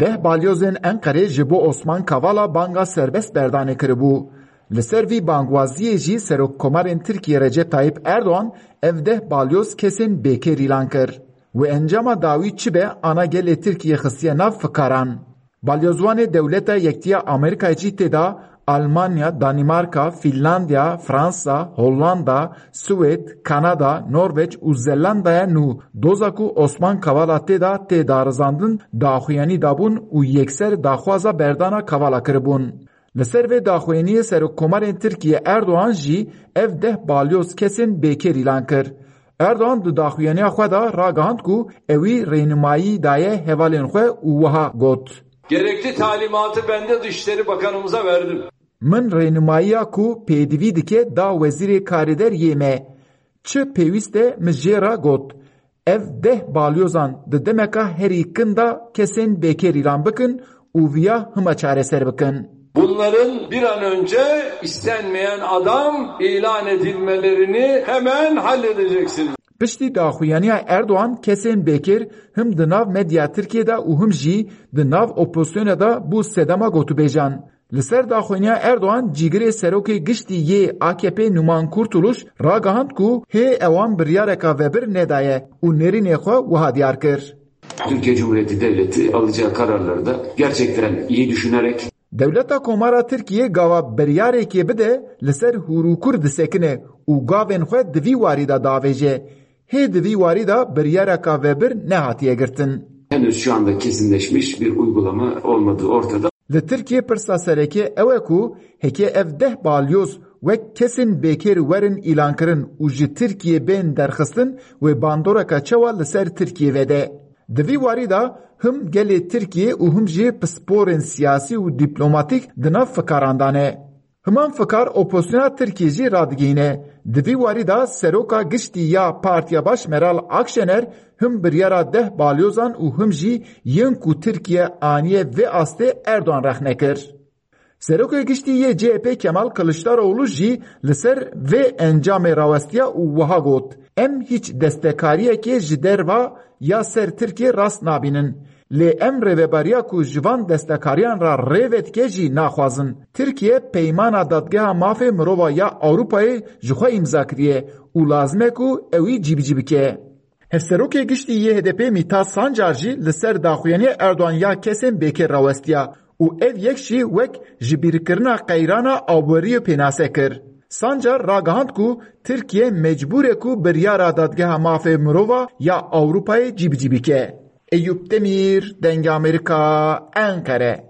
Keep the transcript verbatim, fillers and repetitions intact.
Deh balyozên Enqerê ji bo Osman Kavala banga serbest berdanê kiribû. Li ser vî bangwaziyê jî Serokkomarên Tirkiyê Recep Tayyip Erdoğan ev deh balyoz kesên bêkêr îlan kir. Wê encama dawî çi be, ana gelê Tirkiyê xistiye nav fikaran. Balyozvanê Dewleta Yektiya Amerîkayê jî tê de Almanya, Danîmarka, Fînlandiya, Fransa, Hollanda, Swêd, Kanada, Norveç û Zelandaya nû. Doza ku Osman Kavala tê de tê darizandin, daxuyanî dabûn û yekser daxwaza berdana Kavala kiribûn. Li ser vê daxuyaniyê Serokkomarên Tirkiye Erdoğan jî ev deh balyoz kesên bêkêr îlan kir. Erdoğan di daxuyaniya xwe de ragihand ku ewî rênimayî daye hevalên xwe û wiha got: Gerekli talimatı ben de Dışişleri Bakanımıza verdim. Min rênimayiya ku pêdivî dike da Wezîrê Karêder yê me. Çi pêwîst e, min jê re got. Ev deh balyozan di demeka herî kin de kesên bêkêr îlan bikin û viya hima çareser bikin. Bunların bir an önce istenmeyen adam ilan edilmelerini hemen halledeceksiniz. Piştî daxuyaniya Erdoğan kesên bêkêr him di nav medya Tirkiyê de û him jî di nav opozisyonê de bû sedema gotûbêjan. Li ser daxuyaniya Erdoğan cîgirê serokê giştî yê A K P Numan Kurtuluş ragihand ku hê ewan biryareka vebir nedaye û nêrînê xwe wiha diyar kir. Türkiye Cumhuriyeti Devleti alacağı kararları da gerçekten iyi düşünerek Dewleta Komara Tirkiyê gava biryarekê bide li ser hûr û kur disekine û gavên xwe di vî warî de davêje. Hê di vî warî de biryareka vebir nehatiye girtin. Henüz şu anda kesinleşmiş bir uygulama olmadığı ortada. Li Tirkiyê pirsa sereke ew e ku heke ev deh balyoz wek kesên bêkêr werin îlankirin û ji Tirkiyê bên derxistin, wê bandoreka çawa li ser Tirkiyê vede. Di vî warî de him gelê Tirkiyê û him jî pisporên siyasî û dîplomatîk di nav fikaran de ne. Himan fikar opozisyona Tirkiyê jî radigihîne. Di vî warî de seroka giştî ya Partiya Baş Meral Akşener him biryara deh balyozan û him jî yên ku Tirkiye aniye vê astê Erdoğan rexne kir. Serokê Giştî yê C H P Kemal Kılıçdaroğlu jî li ser vê encamê rawestiya û wiha got: Em hîç destekariyekê ji derva ya ser Tirkiyê rast nabînin. Lê em rêveberiya ku ji van destekariyan re rê vedike jî naxwazin. Tirkiye Peymana Dadgeha Mafê Mirova ya Ewropayê ji xwe îmza kiriye û lazim e ku ewî cîbicî bike. Hevserokê Giştî yê H D P Mîtat Sancar jî li ser daxuyaniya Erdogan ya kesên bêkêr rawestiya û ev yek jî wek ji bîrkirina qeyrana aboriyê pênase kir. Sancar ragihand ku Tirkiye mecbûr e ku biryara Dadgeha Mafê Mirova ya Ewropayê cîbicî bike. Eyûp Demîr, Dengê Amerîka, Enqere.